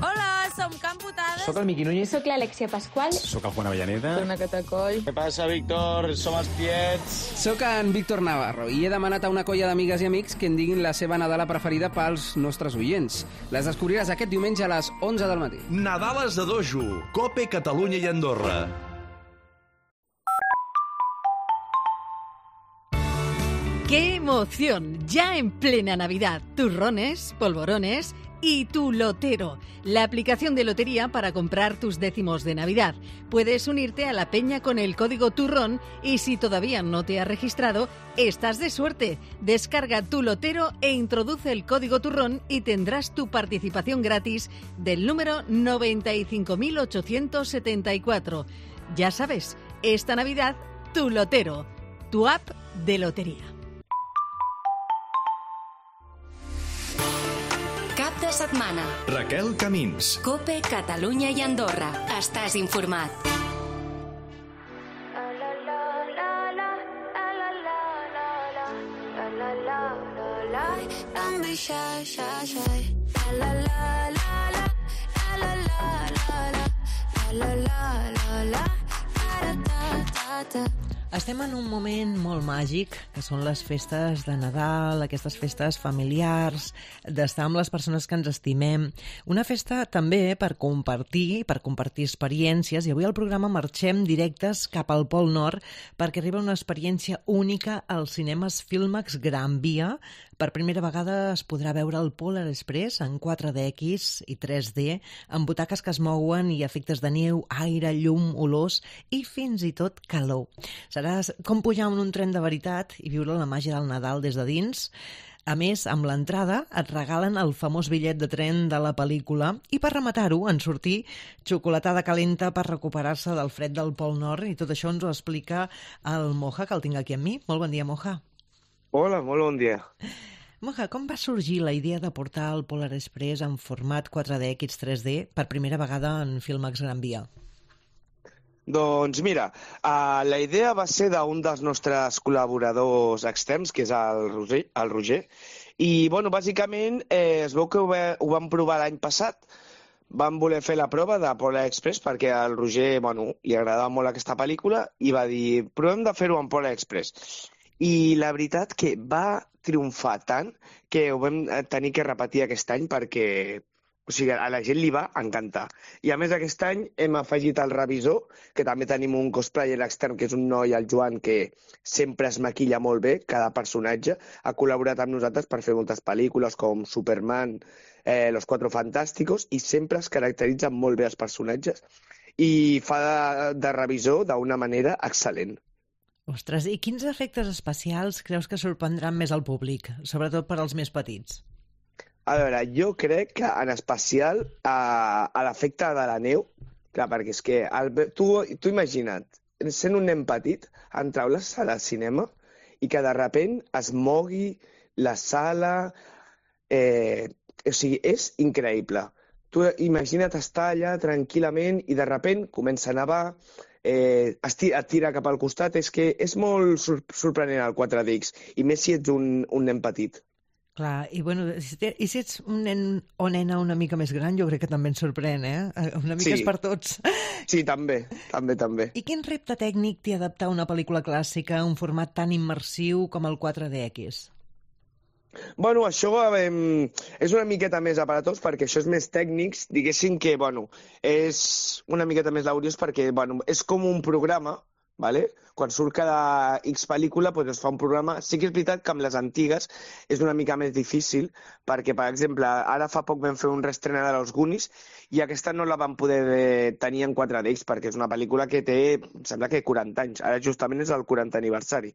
Speaker 22: Hola, som Camp Putades.
Speaker 23: Soc el Miqui Núñez.
Speaker 22: Soc l'Alexia Pasqual.
Speaker 23: Soc el Juan Avellaneda.
Speaker 22: Soc una Catacoll.
Speaker 24: Què passa, Víctor? Som els tiets.
Speaker 25: Soc en Víctor Navarro i he demanat a una colla d'amigues i amics que en diguin la seva Nadala preferida pels nostres oients. Les descobriràs aquest diumenge a les 11 del matí.
Speaker 5: Nadales de Dojo. COPE Catalunya i Andorra.
Speaker 7: ¡Qué emoción! Ya en plena Navidad. Turrones, polvorones, y Tu Lotero, la aplicación de lotería para comprar tus décimos de Navidad. Puedes unirte a la peña con el código TURRON y si todavía no te has registrado, estás de suerte. Descarga Tu Lotero e introduce el código TURRON y tendrás tu participación gratis del número 95.874. Ya sabes, esta Navidad, Tu Lotero, tu app de lotería.
Speaker 1: Cap de setmana.
Speaker 18: Raquel Camins.
Speaker 1: COPE, Catalunya i Andorra. Estàs informat.
Speaker 2: Estem en un moment molt màgic, que són les festes de Nadal, aquestes festes familiars, d'estar amb les persones que ens estimem. Una festa també per compartir experiències, i avui al programa marxem directes cap al Pol Nord perquè arriba una experiència única als cinemes Filmax Gran Via. Per primera vegada es podrà veure el Polar Express en 4DX i 3D, amb butaques que es mouen i efectes de neu, aire, llum, olors i fins i tot calor. Serà com pujar en un tren de veritat i viure la màgia del Nadal des de dins. A més, amb l'entrada et regalen el famós bitllet de tren de la pel·lícula i per rematar-ho en sortir xocolatada calenta per recuperar-se del fred del Pol Nord, i tot això ens ho explica el Moja, que el tinc aquí amb mi. Molt bon dia, Moja.
Speaker 24: Hola, molt bon dia.
Speaker 2: Moja, com va sorgir la idea de portar el Polar Express en format 4DX 3D per primera vegada en Filmax Gran Via?
Speaker 24: Doncs mira, la idea va ser d'un dels nostres col·laboradors externs, que és el Roger, i bueno, bàsicament es veu que ho vam provar l'any passat. Vam voler fer la prova de Polar Express perquè al Roger li agradava molt aquesta pel·lícula i va dir, provem de fer-ho en Polar Express. I la veritat que va triomfar tant que ho vam tenir que repetir aquest any perquè a la gent li va encantar. I a més aquest any hem afegit el revisor, que també tenim un cosplayer extern, que és un noi, el Joan, que sempre es maquilla molt bé, cada personatge. Ha col·laborat amb nosaltres per fer moltes pel·lícules com Superman, Los Cuatro Fantásticos, i sempre es caracteritzen molt bé els personatges i fa de revisor d'una manera excel·lent.
Speaker 2: Ostres, i quins efectes especials creus que sorprendran més al públic, sobretot per als més petits?
Speaker 24: A veure, jo crec que en especial a l'efecte de la neu, clar, perquè és que tu imagina't, sent un nen petit, entrar a la sala de cinema i que de repent es mogui la sala, o sigui, és increïble. Tu imagina't estar allà tranquil·lament i de repent comença a nevar, et tira cap al costat, és que és molt sorprenent el 4DX, i més si ets un nen petit.
Speaker 2: Clar, i bueno, i si ets un nen o nena una mica més gran, jo crec que també ens sorprèn, Una mica és per tots.
Speaker 24: Sí, també.
Speaker 2: I quin repte tècnic té adaptar una pel·lícula clàssica a un format tan immersiu com el 4DX?
Speaker 24: Bueno, això és una miqueta més aparatós perquè això és més tècnics, diguéssim que, és una miqueta més laboriós perquè, és com un programa, ¿vale? Quan surt cada X pel·lícula es fa un programa. Sí que és veritat que amb les antigues és una mica més difícil perquè, per exemple, ara fa poc vam fer un reestrena de Los Goonies i aquesta no la vam poder tenir en 4DX perquè és una pel·lícula que té, em sembla que 40 anys. Ara justament és el 40 aniversari.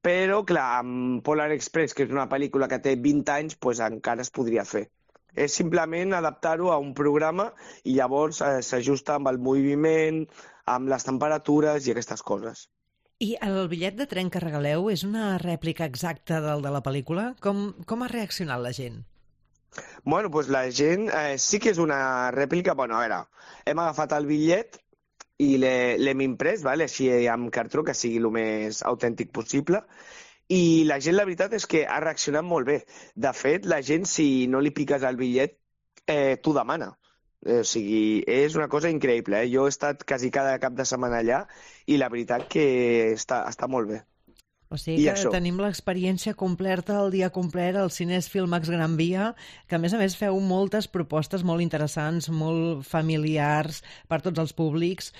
Speaker 24: Però, clar, amb Polar Express, que és una pel·lícula que té 20 anys, encara es podria fer. És simplement adaptar-ho a un programa i llavors s'ajusta amb el moviment, amb les temperatures i aquestes coses.
Speaker 2: I el bitllet de tren que regaleu és una rèplica exacta del de la pel·lícula? Com ha reaccionat la gent?
Speaker 24: Bueno, la gent sí que és una rèplica. A veure, hem agafat el bitllet i l'hem imprès, així amb cartró, que sigui el més autèntic possible, i la gent, la veritat és que ha reaccionat molt bé. De fet, la gent, si no li piques el bitllet, t'ho demana. O sigui, és una cosa increïble. Jo he estat quasi cada cap de setmana allà i la veritat que està molt bé.
Speaker 2: O sigui que tenim l'experiència completa, el dia complet, al Cines Filmax Gran Via, que a més feu moltes propostes molt interessants, molt familiars per tots els públics.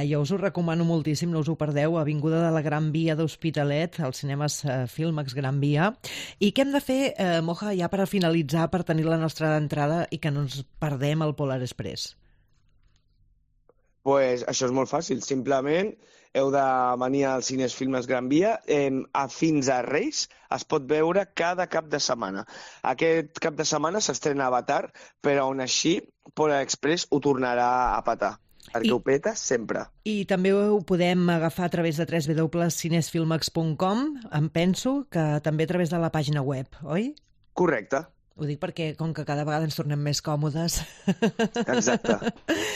Speaker 2: Jo us ho recomano moltíssim, no us ho perdeu, Avinguda de la Gran Via d'Hospitalet, als cinemes Filmax Gran Via. I què hem de fer, Moja, ja per finalitzar, per tenir la nostra entrada i que no ens perdem el Polar Express?
Speaker 24: Pues això és molt fàcil, simplement heu de venir al Cines Filmes Gran Via. Fins a Reis es pot veure cada cap de setmana. Aquest cap de setmana s'estrena Avatar, però on així Polar Express ho tornarà a petar, perquè ho peta sempre.
Speaker 2: I també ho podem agafar a través de www.cinesfilmax.com, em penso que també a través de la pàgina web, oi?
Speaker 24: Correcte.
Speaker 2: Ho dic perquè, com que cada vegada ens tornem més còmodes.
Speaker 24: Exacte,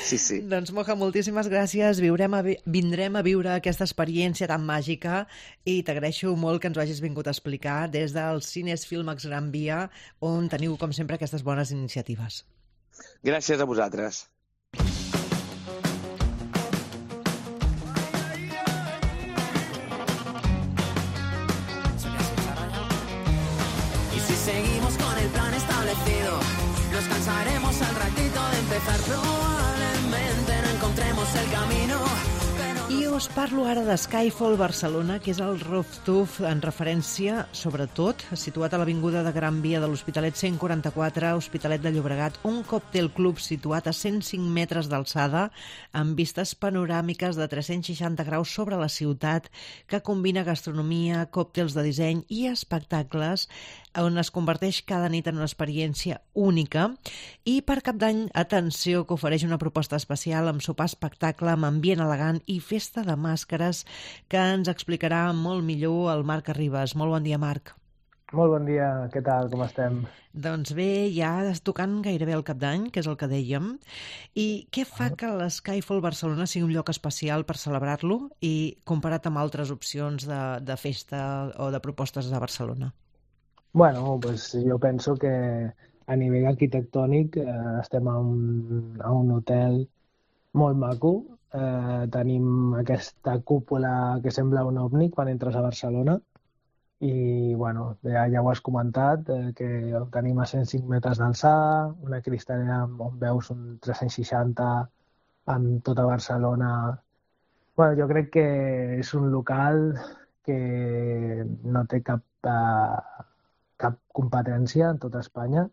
Speaker 24: sí.
Speaker 2: Doncs, Moja, moltíssimes gràcies. Vindrem a viure aquesta experiència tan màgica i t'agraeixo molt que ens ho hagis vingut a explicar des del Cines Filmax Gran Via, on teniu, com sempre, aquestes bones iniciatives.
Speaker 24: Gràcies a vosaltres.
Speaker 3: Nos cansaremos al ratito de empezar, probablemente no encontremos el camino.
Speaker 2: I us parlo ara de Skyfall Barcelona, que és el rooftop en referència, sobretot, situat a l'Avinguda de Gran Via de l'Hospitalet 144, Hospitalet de Llobregat, un còctel club situat a 105 metres d'alçada, amb vistes panoràmiques de 360 graus sobre la ciutat, que combina gastronomia, còctels de disseny i espectacles, on es converteix cada nit en una experiència única. I per Cap d'Any, atenció, que ofereix una proposta especial amb sopar espectacle, amb ambient elegant i festa de màscares, que ens explicarà molt millor el Marc Arribas. Molt bon dia, Marc.
Speaker 4: Molt bon dia, què tal, com estem?
Speaker 2: Doncs bé, ja tocant gairebé el Cap d'Any, que és el que dèiem. I què fa que l'Skyfall Barcelona sigui un lloc especial per celebrar-lo i comparat amb altres opcions de festa o de propostes de Barcelona?
Speaker 4: Bueno, pues jo penso que a nivell arquitectònic estem a un hotel molt maco. Tenim aquesta cúpula que sembla un ovni quan entres a Barcelona i bueno, ja ho has comentat, que ho tenim a 105 metres d'alçada, una cristalera on veus un 360 amb tota Barcelona. Bueno, jo crec que és un local que no té cap competència en tota Espanya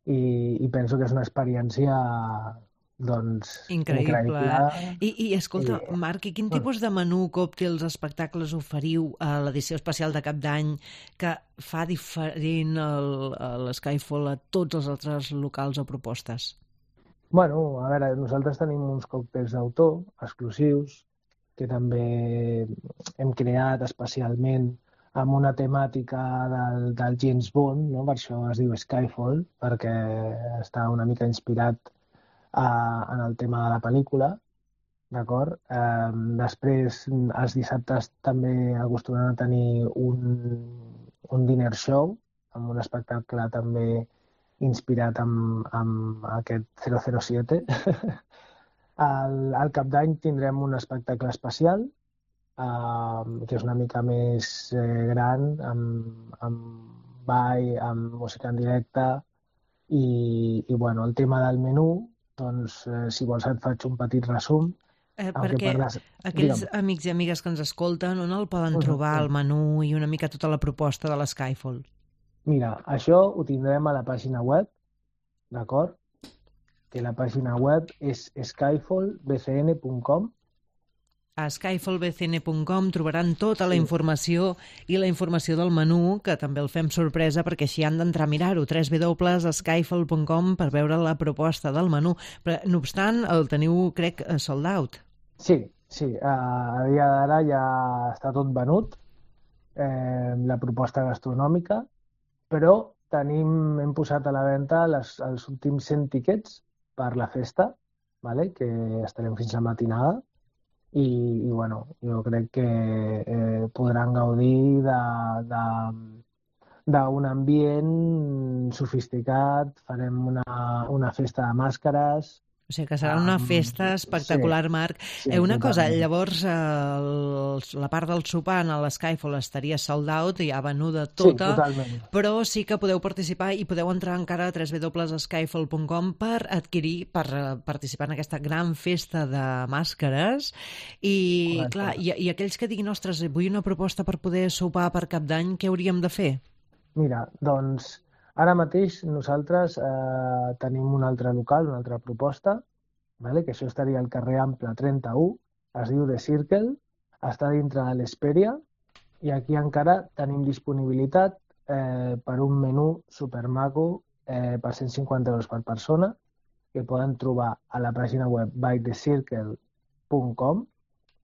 Speaker 4: i penso que és una experiència doncs increïble.
Speaker 2: I escolta, Marc, quin tipus de menú, còctels, espectacles oferiu a l'edició especial de Cap d'Any que fa diferent l'Skyfall a tots els altres locals o propostes?
Speaker 4: Bueno, a veure, nosaltres tenim uns còctels d'autor exclusius que també hem creat especialment amb una temàtica del James Bond, no? Per això es diu Skyfall, perquè està una mica inspirat en el tema de la pel·lícula, d'acord? Després, els dissabtes també acostumem a tenir un dinner show, amb un espectacle també inspirat amb aquest 007. Al Cap d'Any tindrem un espectacle especial, que és una mica més gran, amb ball, amb música en directe i bueno, el tema del menú, doncs si vols et faig un petit resum.
Speaker 2: Perquè aquells amics i amigues que ens escolten, on el poden trobar el menú i una mica tota la proposta de l'Skyfall?
Speaker 4: Mira, això ho tindrem a la pàgina web, d'acord? Que la pàgina web és skyfallbcn.com.
Speaker 2: A skyfallbcn.com trobaran tota la informació i la informació del menú, que també el fem sorpresa perquè així han d'entrar a mirar-ho, www.skyfall.com per veure la proposta del menú. Però, no obstant, el teniu, crec, sold out.
Speaker 4: Sí. A dia d'ara ja està tot venut, la proposta gastronòmica, però hem posat a la venda els últims 100 tiquets per la festa, vale? Que estarem fins a matinada. I bueno, jo crec que podran gaudir d'un ambient sofisticat, farem una festa de màscares
Speaker 2: O sigui que serà una festa espectacular, Marc. Una cosa, llavors la part del sopar a l'Skyfall estaria sold out, ja venuda tota, però sí que podeu participar i podeu entrar encara a www.skyfall.com per participar en aquesta gran festa de màscares. I clar, i aquells que diguin, ostres, vull una proposta per poder sopar per Cap d'Any, què hauríem de fer?
Speaker 4: Mira, doncs ara mateix nosaltres tenim un altre local, una altra proposta, que això estaria al carrer Ample 31, es diu The Circle, està dintre de l'Hesperia i aquí encara tenim disponibilitat per un menú supermaco per 150 euros per persona que poden trobar a la pàgina web bythecircle.com.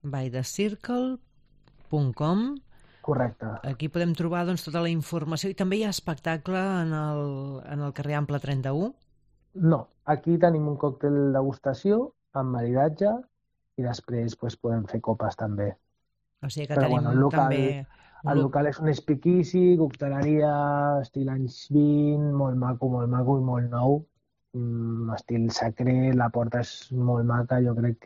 Speaker 2: bythecircle.com.
Speaker 4: Correcte.
Speaker 2: Aquí podem trobar tota la informació i també hi ha espectacle en el carrer Ample 31?
Speaker 4: No, aquí tenim un còctel degustació amb maridatge i després podem fer copes també.
Speaker 2: O sigui que tenim també...
Speaker 4: El local és un speakeasy, cocteleria, estil anys 20, molt maco i molt nou. Estil secret, la porta és molt maca, jo crec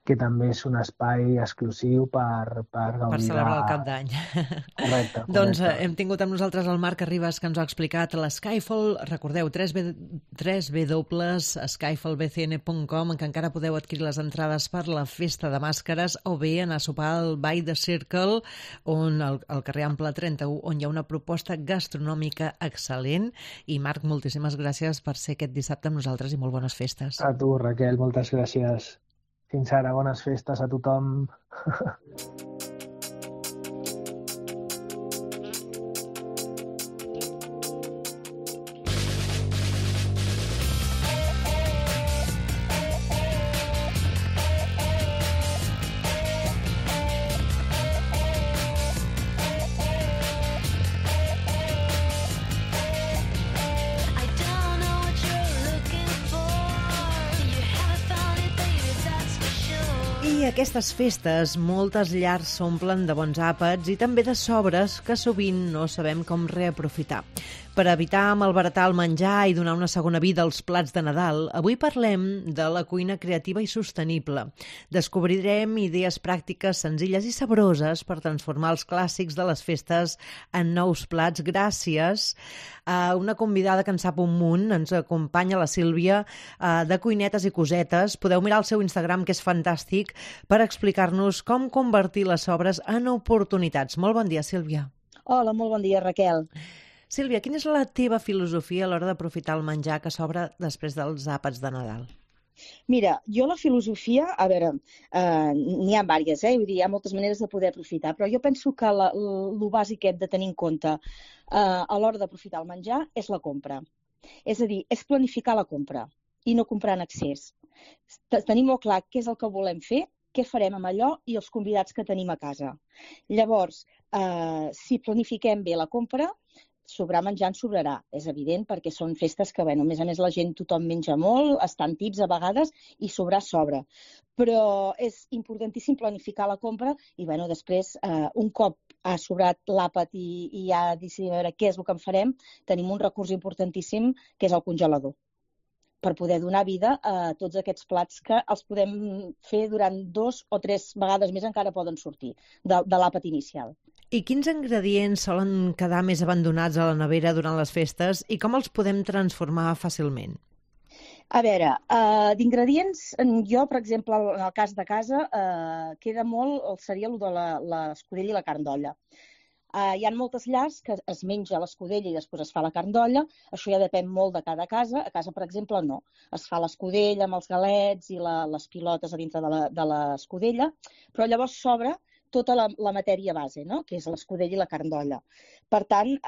Speaker 4: que també és un espai exclusiu per gaudir.
Speaker 2: Per celebrar el Cap d'Any.
Speaker 4: Correcte.
Speaker 2: Doncs hem tingut amb nosaltres el Marc Arribas, que ens ha explicat l'Skyfall. Recordeu, www.skyfallbcn.com, en què encara podeu adquirir les entrades per la festa de màscares, o bé anar a sopar al By the Circle, al carrer Ample 31, on hi ha una proposta gastronòmica excel·lent. I Marc, moltíssimes gràcies per ser aquest dissabte amb nosaltres i molt bones festes.
Speaker 4: A tu, Raquel, moltes gràcies. Fins ara, bones festes a tothom.
Speaker 2: Aquestes festes, moltes llars s'omplen de bons àpats i també de sobres que sovint no sabem com reaprofitar. Per evitar malbaratar el menjar i donar una segona vida als plats de Nadal, avui parlem de la cuina creativa i sostenible. Descobrirem idees pràctiques senzilles i sabroses per transformar els clàssics de les festes en nous plats gràcies a una convidada que en sap un munt. Ens acompanya la Sílvia de Cuinetes i Cosetes. Podeu mirar el seu Instagram, que és fantàstic, per explicar-nos com convertir les sobres en oportunitats. Molt bon dia, Sílvia.
Speaker 6: Hola, molt bon dia, Raquel.
Speaker 2: Sílvia, quina és la teva filosofia a l'hora d'aprofitar el menjar que sobra després dels àpats de Nadal?
Speaker 6: Mira, jo la filosofia, a veure, n'hi ha diverses, vull dir, hi ha moltes maneres de poder aprofitar, però jo penso que el bàsic que hem de tenir en compte a l'hora d'aprofitar el menjar és la compra. És a dir, és planificar la compra i no comprar en excés. Tenir molt clar què és el que volem fer, què farem amb allò i els convidats que tenim a casa. Llavors, si planifiquem bé la compra, sobrar menjar en sobrarà, és evident, perquè són festes que, a més a més, la gent, tothom menja molt, estan tips a vegades, i sobrar sobra. Però és importantíssim planificar la compra i, després, un cop ha sobrat l'àpat i ja decidim veure què és el que en farem, tenim un recurs importantíssim, que és el congelador, per poder donar vida a tots aquests plats que els podem fer durant 2 o 3 vegades més, encara poden sortir de l'àpat inicial.
Speaker 2: I quins ingredients solen quedar més abandonats a la nevera durant les festes i com els podem transformar fàcilment?
Speaker 6: A veure, d'ingredients, jo, per exemple, en el cas de casa, queda molt, seria el de l'escudella i la carn d'olla. Hi ha moltes llars que es menja l'escudella i després es fa la carn d'olla. Això ja depèn molt de cada casa. A casa, per exemple, no. Es fa l'escudella amb els galets i les pilotes a dintre de l'escudella, però llavors sobra tota la matèria base, que és l'escudella i la carn d'olla. Per tant,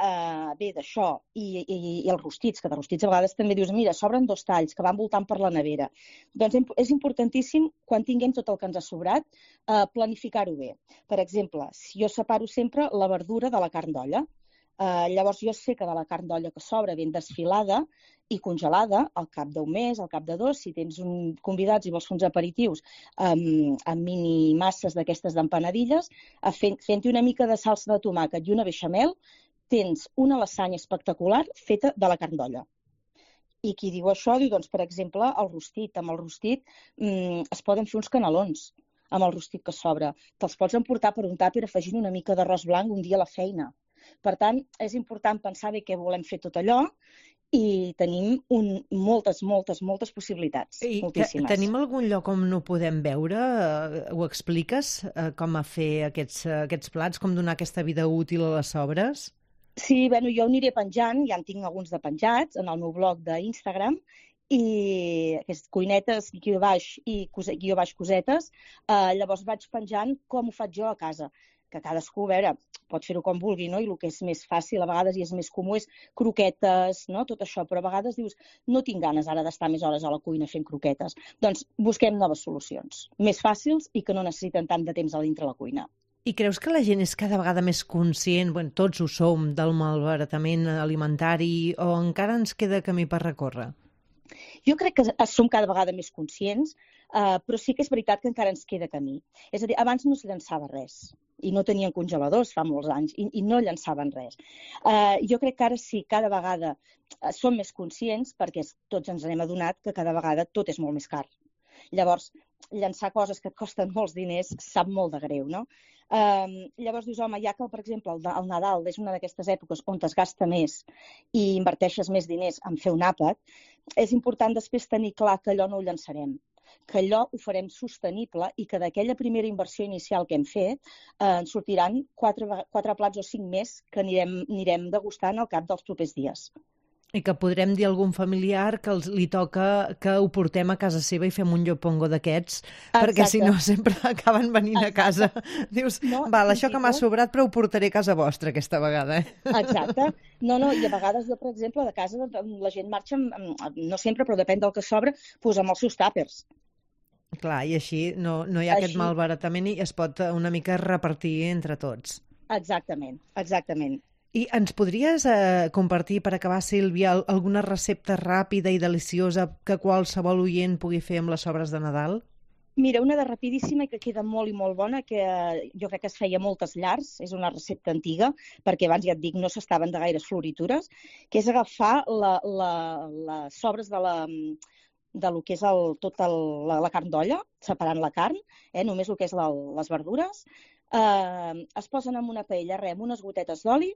Speaker 6: bé, d'això i els rostits, que de rostits a vegades també dius, mira, sobren 2 talls que van voltant per la nevera. Doncs és importantíssim, quan tinguem tot el que ens ha sobrat, planificar-ho bé. Per exemple, jo separo sempre la verdura de la carn d'olla. Llavors jo sé que de la carn d'olla que sobra ben desfilada i congelada, al cap d'un mes, al cap de 2, si tens convidats i vols fer uns aperitius amb mini masses d'aquestes d'empanadilles, fent-hi una mica de salsa de tomàquet i una beixamel, tens una lasanya espectacular feta de la carn d'olla. I qui diu això diu, doncs, per exemple, el rostit. Amb el rostit es poden fer uns canelons amb el rostit que sobra. Te'ls pots emportar per un tàper afegint una mica d'arròs blanc un dia a la feina. Per tant, és important pensar bé què volem fer tot allò i tenim moltes possibilitats. Moltíssimes.
Speaker 2: Tenim algun lloc on no podem veure? Ho expliques? Com a fer aquests plats? Com donar aquesta vida útil a les sobres?
Speaker 6: Sí, bueno, jo ho aniré penjant, ja en tinc alguns de penjats en el meu blog d'Instagram, i aquestes cuinetes, guió baix cosetes, llavors vaig penjant com ho faig jo a casa, que cadascú, a veure, pot fer-ho com vulgui, no? I el que és més fàcil a vegades i és més comú és croquetes, no? Tot això, però a vegades dius, no tinc ganes ara d'estar més hores a la cuina fent croquetes. Doncs busquem noves solucions, més fàcils i que no necessiten tant de temps a dintre la cuina.
Speaker 2: I creus que la gent és cada vegada més conscient, bueno, tots ho som, del malbaratament alimentari, o encara ens queda camí per recórrer?
Speaker 6: Jo crec que som cada vegada més conscients, però sí que és veritat que encara ens queda camí. És a dir, abans no es llançava res i no tenien congeladors fa molts anys i no llançaven res. Jo crec que ara sí, cada vegada som més conscients perquè tots ens n'hem adonat que cada vegada tot és molt més car. Llavors, llançar coses que et costen molts diners sap molt de greu, no? Llavors dius, home, ja que, per exemple, el Nadal és una d'aquestes èpoques on es gasta més i inverteixes més diners en fer un àpat, és important després tenir clar que allò no ho llançarem, que allò ho farem sostenible i que d'aquella primera inversió inicial que hem fet ens sortiran 4 plats o 5 més que anirem degustant al cap dels propers dies.
Speaker 2: I que podrem dir a algun familiar que li toca que ho portem a casa seva i fem un llopongo d'aquests, perquè si no sempre acaben venint a casa. Dius, val, això que m'ha sobrat, però ho portaré a casa vostra aquesta vegada.
Speaker 6: Exacte. No, i a vegades jo, per exemple, de casa la gent marxa, no sempre, però depèn del que sobra, doncs amb els seus tàpers.
Speaker 2: Clar, i així no hi ha aquest malbaratament i es pot una mica repartir entre tots.
Speaker 6: Exactament.
Speaker 2: I ens podries compartir, per acabar, Sílvia, alguna recepta ràpida i deliciosa que qualsevol oient pugui fer amb les sobres de Nadal?
Speaker 6: Mira, una de rapidíssima i que queda molt i molt bona, que jo crec que es feia moltes llars, és una recepta antiga, perquè abans ja et dic, no s'estaven de gaires floritures, que és agafar les sobres de lo que és la carn d'olla, separant la carn, només el que és les verdures, es posen en una paella amb unes gotetes d'oli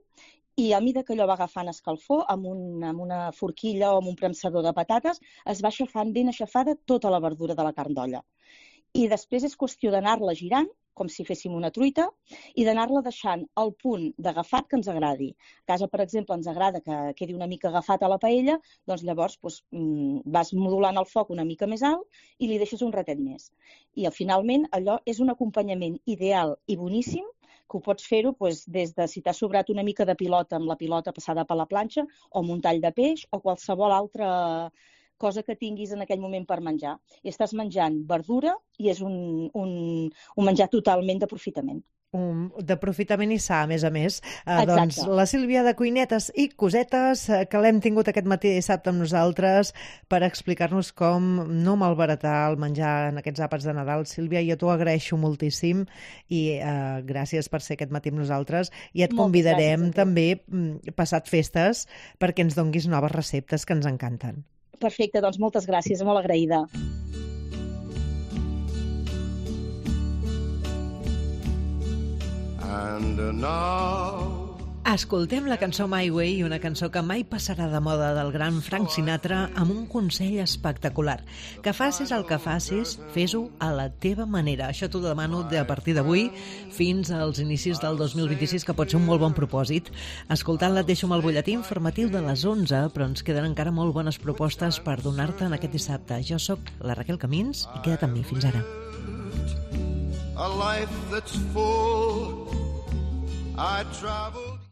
Speaker 6: i a mida que allò va agafant escalfor, amb una forquilla o amb un premsador de patates, es va aixafant ben aixafada tota la verdura de la carn d'olla. I després és qüestió d'anar-la girant, com si féssim una truita, i d'anar-la deixant al punt d'agafat que ens agradi. A casa, per exemple, ens agrada que quedi una mica agafat a la paella, doncs llavors vas modulant el foc una mica més alt i li deixes un ratet més. I finalment allò és un acompanyament ideal i boníssim, que ho pots fer-ho des de si t'ha sobrat una mica de pilota amb la pilota passada per la planxa, o amb un tall de peix, o qualsevol altra cosa que tinguis en aquell moment per menjar. I estàs menjant verdura i és un menjar totalment d'aprofitament.
Speaker 2: D'aprofitament i sa, a més. Doncs la Sílvia de Cuinetes i Cosetes, que l'hem tingut aquest matí dissabte amb nosaltres per explicar-nos com no malbaratar el menjar en aquests àpats de Nadal. Sílvia, jo t'ho agraeixo moltíssim i gràcies per ser aquest matí amb nosaltres i et convidarem també passat festes perquè ens donguis noves receptes que ens encanten.
Speaker 6: Perfecte, doncs moltes gràcies, molt agraïda.
Speaker 2: Escoltem la cançó My Way, una cançó que mai passarà de moda del gran Frank Sinatra, amb un consell espectacular. Que facis el que facis, fes-ho a la teva manera. Això t'ho demano a partir d'avui fins als inicis del 2026, que pot ser un molt bon propòsit. Escoltant-la et deixo amb el butlletí informatiu de les 11, però ens queden encara molt bones propostes per donar-te en aquest dissabte. Jo sóc la Raquel Camins i queda't amb mi. Fins ara.
Speaker 8: A life that's full, I travel